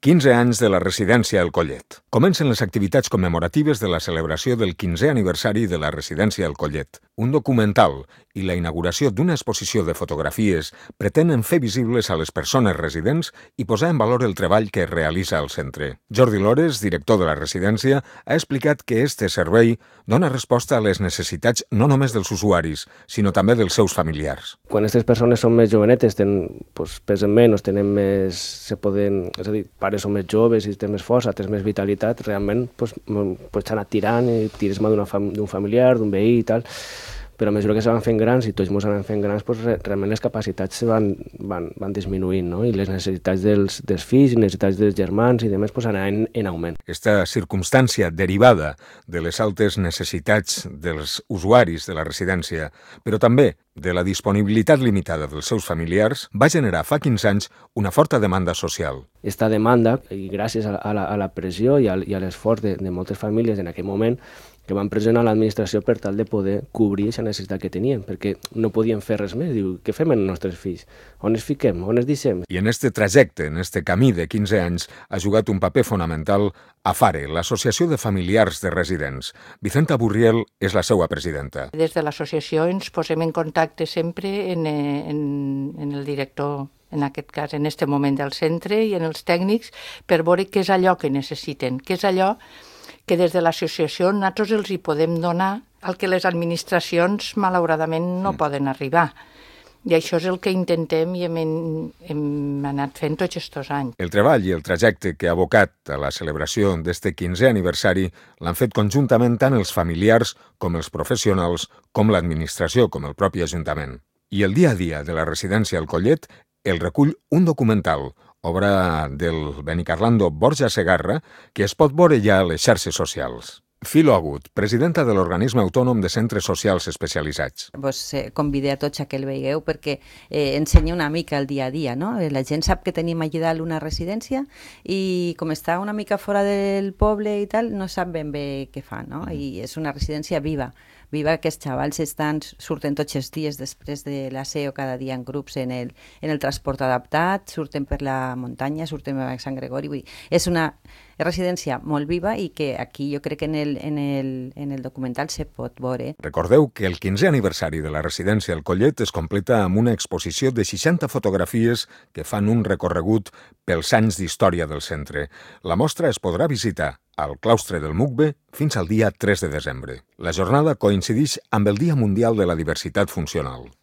15 anys de la residència El Collet. Comencen les activitats commemoratives de la celebració del 15è aniversari de la residència El Collet. Un documental i la inauguració d'una exposició de fotografies pretenen fer visibles a les persones residents i posar en valor el treball que es realitza al centre. Jordi Lores, director de la residència, ha explicat que este servei dona resposta a les necessitats no només dels usuaris, sinó també dels seus familiars. Quan aquestes persones són més jovenetes, pesen menys, tenen més... és a dir, pares són més joves i tenen més força, tenen més vitalitat, realment s'ha anat tirant i tires mà d'un familiar, d'un veí i tal, però a mesura que se van fent grans i tots ens anem fent grans, realment les capacitats van disminuint, no? I les necessitats dels fills i necessitats dels germans i demés anaven en augment. Aquesta circumstància derivada de les altes necessitats dels usuaris de la residència, però també de la disponibilitat limitada dels seus familiars, va generar fa 15 anys una forta demanda social. Aquesta demanda, i gràcies a la pressió i a l'esforç de moltes famílies en aquell moment, que van pressionar l'administració per tal de poder cobrir aquesta necessitat que tenien, perquè no podien fer res més. Diu, què fem amb els nostres fills? On es fiquem? On es deixem? I en este trajecte, en este camí de 15 anys, ha jugat un paper fonamental AFARE, l'Associació de Familiars de Residents. Vicenta Burriel és la seva presidenta. Des de l'associació ens posem en contacte sempre en el director, en aquest cas, en aquest moment del centre i en els tècnics, per veure què és allò que necessiten, què és allò que des de l'associació nosaltres els hi podem donar el que les administracions malauradament no poden arribar. I això és el que intentem i hem anat fent tots aquests anys. El treball i el trajecte que ha abocat a la celebració d'este 15è aniversari l'han fet conjuntament tant els familiars com els professionals, com l'administració, com el propi Ajuntament. I el dia a dia de la residència El Collet el recull un documental, obra del benicarlando Borja Segarra, que es pot veure ja a les xarxes socials. Filo Agut, presidenta de l'Organisme Autònom de Centres Socials Especialitzats. Convidé a tots a que el veieu perquè ensenya una mica el dia a dia, no? La gent sap que tenim allà dalt una residència i com està una mica fora del poble i tal, no sap ben bé què fa, no? I és una residència viva que els xavals surten tots els dies després de l'aseo cada dia en grups en el transport adaptat, surten per la muntanya, surten per Sant Gregori, vull dir, és una residència molt viva i que aquí jo crec que en el documental se pot veure. Recordeu que el 15è aniversari de la residència El Collet es completa amb una exposició de 60 fotografies que fan un recorregut pels anys d'història del centre. La mostra es podrà visitar al claustre del Mugbe fins al dia 3 de desembre. La jornada coincideix amb el Dia Mundial de la Diversitat Funcional.